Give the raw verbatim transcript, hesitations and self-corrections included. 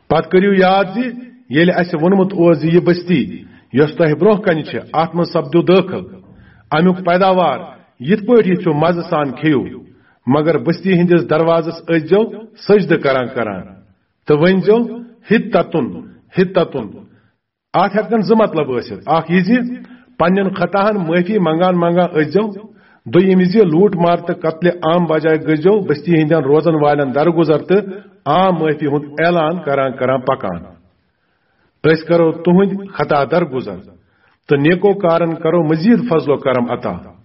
پتہٕ کٔرِو یاد زِ ییٚلہِ اَسہِ ووٚنمُت اوس زِ یہِ بستی یۄس تۄہہِ برونٛہہ کنہِ چھِ، اتھ منٛز سپدِو دٲخل، امیُک پیداوار یِتھ پٲٹھۍ یژھِو مزٕ سان کھیٚیِو، مگر بستی ہٕنٛدِس دروازس ٲسۍزیو سجدٕ کران کران تہٕ ؤنۍزیو، "حطتن، حطتن۔" اتھ ہٮ۪کن زٕ مطلب ٲسِتھ، اکھ یہِ زِ پننٮ۪ن خطاہن معٲفی منگان منگان ٲسۍزیو، دوٚیِم یہِ زِ لوٗٹ مار تہٕ قتلِ عام بجایہِ گٔژھۍزیو بستی ہٕنٛدٮ۪ن روزن والٮ۪ن درگُزر تہٕ عام معٲفی ہُنٛد اعلان کران کران پکان۔ أسۍ کرو تُہنٛدۍ خطا درگُزر تہٕ نیکو کارن کرو مزید فضل و کرم عطا۔